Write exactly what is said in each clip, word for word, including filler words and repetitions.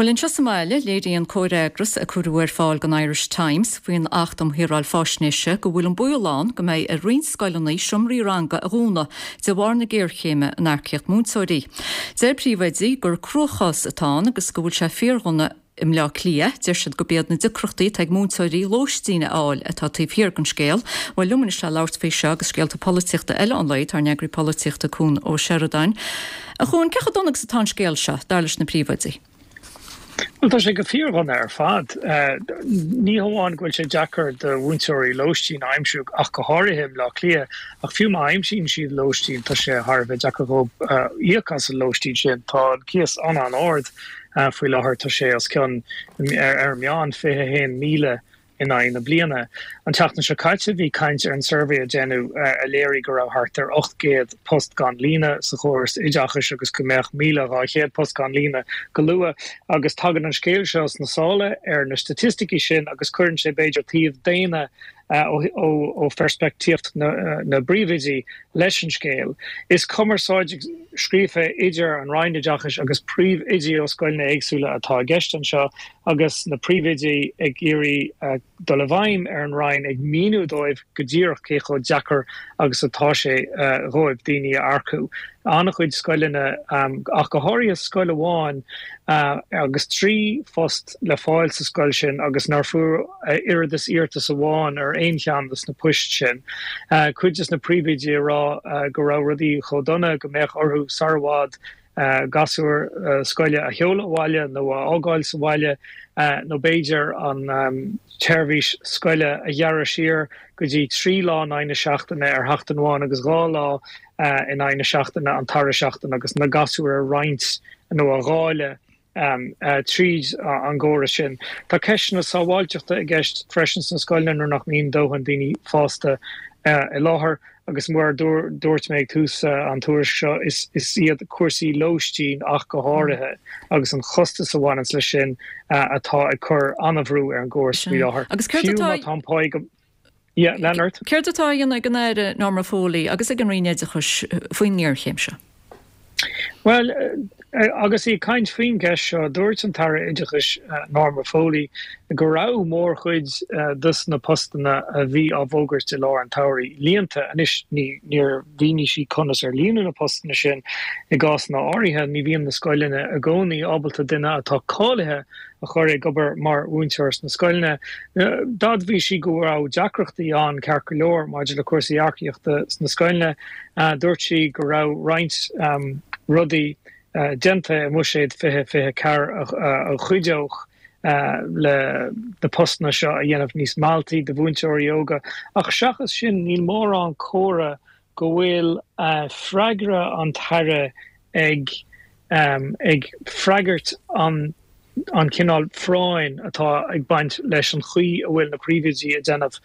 Bhuel anseo sa mbaile léiríonn comhfhreagras a cuireadh ar fáil don Irish Times faoin Acht um Shaoráil Faisnéise go bhfuil an baol ann go mbeidh ar roinnt scoileanna seomraí ranga a dhúnadh de bharr na géarchéime in earcaíocht múinteoirí. Deir príomhoidí gur cruachás atá ann agus go bhfuil sé fíordhona i mBleá Cliath, deir siad gurb iad na deacrachtaí atá ag múinteoirí lóistín a fháil atá taobh thiar den scéal. Bhuel liom anois le labhairt faoi seo agus scéalta polaitíochta eile an lae tá ár n-eagraí polaitíochta Cuan Ó Seireadáin. A Chuain, cé chomh dona agus atá an scéal seo, dar leis na príomhoidí? Well tá sé go fíordhona ar fad. Ní hamháin go bhfuil sé deacair do mhúinteoirí lóistín a aimsiú ach go háirithe i mBleá Cliath, ach fiú má aimsíonn siad lóistín tá sé thar a bheith deacair dóibh íoc as an lóistín sin. Tá an cíos an-an-ard faoi láthair, tá sé os cionn ar an meán fiche a haon míle in aghaidh na bliana. An tseachtain seo caite bhí caint ar an suirbhé a déanadh a léirigh go raibh thart ar ocht gcéad post gan líonadh sa chóras oideachais agus go mbeadh míle dhá chéad post gan líonadh go luath agus tagann an scéal seo sna sála ar na staitisticí sin agus cuireann sé b'fhéidir taobh daonna ó pheirspictíocht na bpríomhoidí leis an scéal. Is cumarsáid scríofa idir an Roinn Oideachais agus príomhoidí ó scoileanna éagsúla atá i gceist anseo agus na príomhoidí ag iarraidh dul i bhfeidhm ar an Roinn ag míniú dóibh go díreach cé chomh deacair agus atá sé dhóibh daoine a earcú. An-chuid scoileanna, ach go háirithe scoil amháin agus trí phost le fáil sa scoil sin agus nár fuair oiread is iarratas amháin ar aon cheann de na poist sin. Cuid de na príomhoidí ag rá go raibh rudaí chomh dona go mbeadh orthu sar i bhfad gasúir scoile a sheoladh abhaile nó a fhágáil sa bhaile nó b'fhéidir an tseirbhís scoile a ghearradh siar go dtí trí lá in aghaidh na seachtaine ar sheachtain amháin agus dhá lá in aghaidh na seachtaine an dara seachtain agus na gasúir a roinnt nó a dháileadh tríd an gcóras sin. Tá ceisteanna sábháilteachta i gceist freisin sna scoileanna nuair nach mbíonn dóthain daoine fásta i láthair agus mar a dúirt mé ag tús an tuairisc seo is is iad cúrsaí lóistín ach go háirithe agus an chostas a bhaineanns leis sin atá ag cur an-bhrú ar an gcóras faoi láthair. Agus céard Fiú atá má tá an pá go Yeah, lean ort. Céard atá á dhéanamh ag an Aire Norma Foley agus ag an Roinn Oideachais faoin ngéarchéim seo? Well, agus í ag caint faoin gceist seo, dúirt an tAire Oideachais Norma Foley go raibh mórchuid dos na postanna a bhí á bhfógairt i lár an tsamhraidh líonta. Anois ní níor mhínigh sí conas ar líonadh na postanna sin. I gcásanna áirithe, ní bhíonn na scoileanna i gcónaí ábalta duine atá cáilithe a chur ag obair mar mhúinteoir sna scoileanna. D'admhaigh sí go raibh deacrachtaí ann ceart go leor maidir le cúrsaí earcaíochta sna scoileanna. Dúirt sí go raibh roinnt rudaí déanta i mBuiséad fiche fiche ceathair a chuideodh le na postanna seo a dhéanamh níos mealltaí do mhúinteoirí óga. Ach seachas sin níl mórán comhartha go bhfuil freagra an tAire ag ag freagairt an an cineál phráinn atá ag baint leis an chaoi a bhfuil na príomhoidí ag déanamh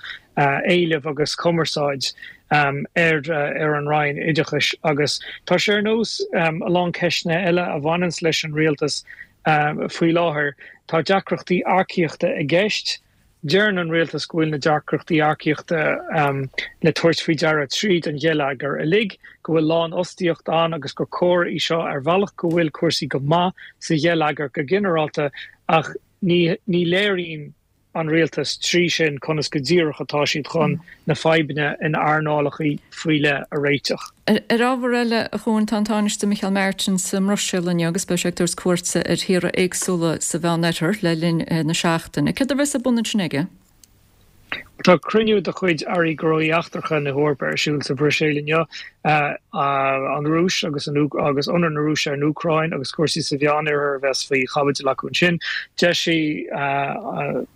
éileamh agus cumarsáid ar ar an Roinn Oideachais agus tá sé ar nós a lán ceisteanna eile a bhaineanns leis an rialtas faoi láthair. Tá deacrachtaí earcaíochta i gceist. Deireann an rialtas go bhfuil na deacrachtaí earcaíochta le tabhairt faoi deara tríd an gheilleagar uilig, go bhfuil lánfhostaíocht ann agus gur comhartha í seo ar bhealach go bhfuil cúrsaí go maith sa gheilleagar go ginearálta ach ní ní léiríonn an rialtas trí sin conas go díreach atá siad chun na fadhbanna in earnálacha faoi leith a réiteach. Ar ábhar eile, a Chuain, tá an Tánaiste Micheál Martin sa mBruiséil inniu agus beidh sé ag tabhairt cuairte ar thíortha éagsúla sa Mheánoirthear le linn na seachtaine. Céard a bheas ar bun ansin aige? Tá cruinniú de chuid Airí Gnóthaí Eachtracha na hEorpa ar siúl sa Bhruiséil inniu. An Rúis agus agus ionradh na Rúise ar an Úcráin agus cúrsaí sa Mheánoirthear a bheas faoi chaibidil acu ansin. D'eisigh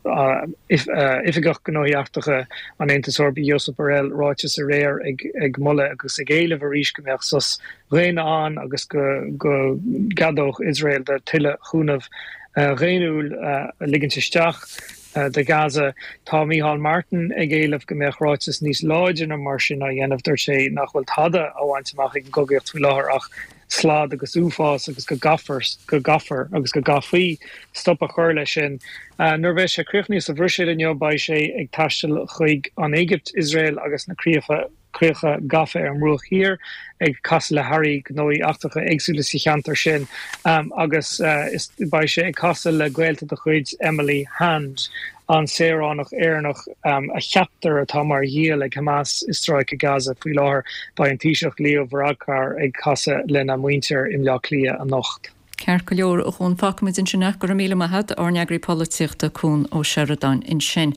Oifigeach Gnóthaí Eachtracha an Aontais Eorpaigh Josep Borrell ráiteas aréir ag moladh agus ag éileamh arís go mbeadh sos daonna ann agus go go gceadódh Iosrael do tuilleadh chúnamh dhaonnúil a ligint isteach. do Gaza. Tá Micheál Martin ag éileamh go mbeadh ráiteas níos láidre ná mar sin á dhéanamh. Dúirt sé nach bhfuil tada á bhaint amach ag an gcogaíocht faoi láthair ach slad agus uafás agus go gcaithfear go gcaithfear agus go gcaithfí stop a chur leis sin. Nuair a bheidh sé críochnaithe sa Bhruiséil inniu beidh sé ag taisteal chuig an Éigipt, Iosrael agus na críocha críocha gafa ar an mBruach Thiar ag casadh le hairí gnóthaí eachtracha éagsúla sa cheantar sin agus beidh sé ag casadh le gaolta de chuid Emily Hand, an saoránach Éireannach a cheaptar atá mar ghiall ag Hamas i Stráice Gaza faoi láthair. Beidh an Taoiseach Leo Varadkar ag casadh lena muintir i mBleá Cliath anocht. Ceart go leor a Chuan, fágfaimid ansin é. Go raibh míle maith agat, ár n-eagraí polaitíochta Cuan Ó Seireadáin ansin.